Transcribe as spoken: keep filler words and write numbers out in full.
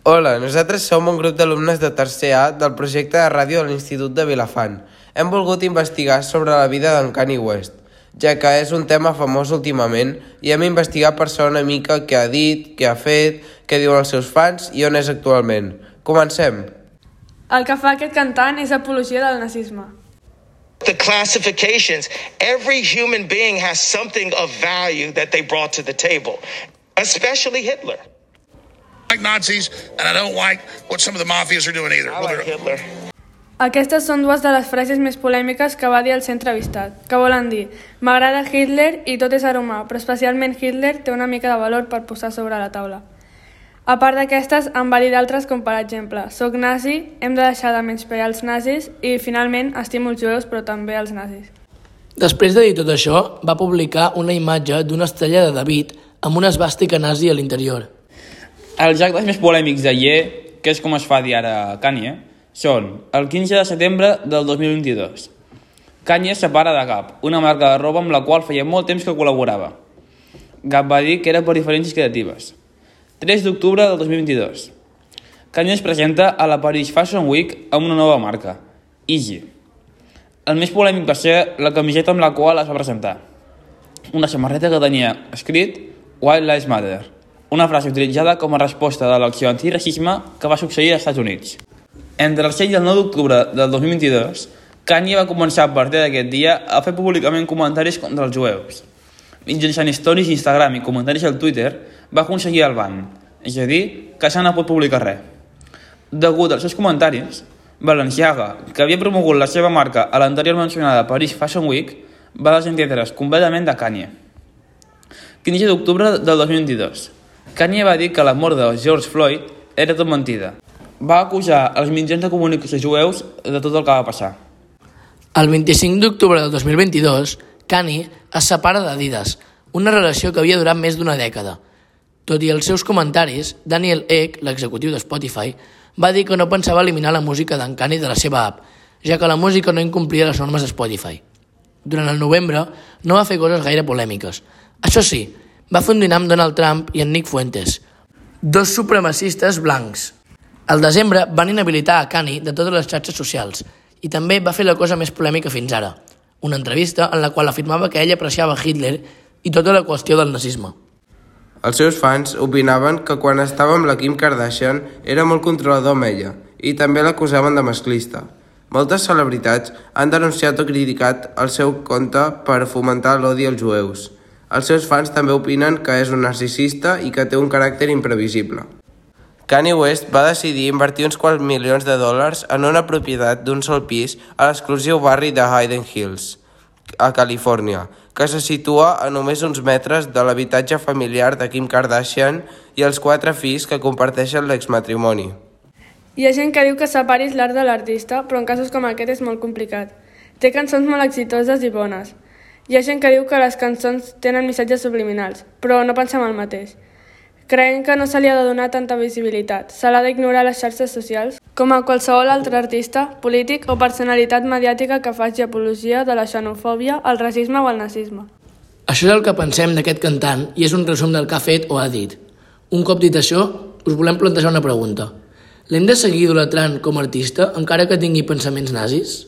Hola, nosaltres som un grup d'alumnes de tercer A del projecte de ràdio de l'Institut de Vilafant. Hem volgut investigar sobre la vida d'en Kanye West, ja que és un tema famós últimament i hem investigat per saber una mica què ha dit, què ha fet, què diuen els seus fans i on és actualment. Comencem! El que fa aquest cantant és apologia del nazisme. The classifications, every human being has something of value that they brought to the table, especially Hitler. I like Nazis, and I don't like what some of the mafias are doing either. I like Hitler. Aquestes són dues de les frases més polèmiques que va dir el ser entrevistat, que volen dir «M'agrada Hitler i tot és aromar, però especialment Hitler té una mica de valor per posar sobre la taula». A part d'aquestes, en va dir d'altres com per exemple «Soc nazi, hem de deixar de menysprear els nazis i finalment estimo els jueus però també els nazis». Després de dir tot això, va publicar una imatge d'una estrella de David amb una esvàstica nazi a l'interior. Els actes més polèmics de Ye, que és com es fa dir ara Kanye, són el quinze de setembre del dos mil vint-i-dos. Kanye es separa de Gap, una marca de roba amb la qual feia molt temps que col·laborava. Gap va dir que era per diferències creatives. tres d'octubre del dos mil vint-i-dos. Kanye es presenta a la Paris Fashion Week amb una nova marca, Yeezy. El més polèmic va ser la camiseta amb la qual es va presentar. Una samarreta que tenia escrit White Lives Matter, una frase utilitzada com a resposta de l'acció antiracisme que va succeir als Estats Units. Entre el set i el nou d'octubre del dos mil vint-i-dos, Kanye va començar a partir d'aquest dia a fer públicament comentaris contra els jueus. Mitjançant stories d'Instagram i comentaris al Twitter, va aconseguir el ban, és a dir, que ja no pot publicar res. Degut als seus comentaris, Balenciaga, que havia promogut la seva marca a l'anterior mencionada Paris Fashion Week, va desentendre's completament de Kanye. quinze d'octubre del dos mil vint-i-dos. Kanye va dir que la mort de George Floyd era tot mentida. Va acusar els mitjans de comunicació jueus de tot el que va passar. El vint-i-cinc d'octubre del dos mil vint-i-dos, Kanye es separa d'Adidas, una relació que havia durat més d'una dècada. Tot i els seus comentaris, Daniel Ek, l'executiu de Spotify, va dir que no pensava eliminar la música d'en Kanye de la seva app, ja que la música no incomplia les normes de Spotify. Durant el novembre no va fer coses gaire polèmiques. Això sí, va fer un dinar amb Donald Trump i en Nick Fuentes, dos supremacistes blancs. Al desembre van inhabilitar a Kanye de totes les xarxes socials i també va fer la cosa més polèmica fins ara, una entrevista en la qual afirmava que ell apreciava Hitler i tota la qüestió del nazisme. Els seus fans opinaven que quan estava amb la Kim Kardashian era molt controlador amb ella i també l'acusaven de masclista. Moltes celebritats han denunciat o criticat el seu compte per fomentar l'odi als jueus. Els seus fans també opinen que és un narcisista i que té un caràcter imprevisible. Kanye West va decidir invertir uns quants milions de dòlars en una propietat d'un sol pis a l'exclusiu barri de Hayden Hills, a Califòrnia, que se situa a només uns metres de l'habitatge familiar de Kim Kardashian i els quatre fills que comparteixen l'exmatrimoni. Hi ha gent que diu que separis l'art de l'artista, però en casos com aquest és molt complicat. Té cançons molt exitoses i bones. Hi ha gent que diu que les cançons tenen missatges subliminals, però no pensem el mateix. Creiem que no se li ha de donar tanta visibilitat. Se l'ha d'ignorar a les xarxes socials, com a qualsevol altre artista, polític o personalitat mediàtica que faci apologia de la xenofòbia, el racisme o el nazisme. Això és el que pensem d'aquest cantant i és un resum del que ha fet o ha dit. Un cop dit això, us volem plantejar una pregunta. L'hem de seguir idolatrant com a artista encara que tingui pensaments nazis?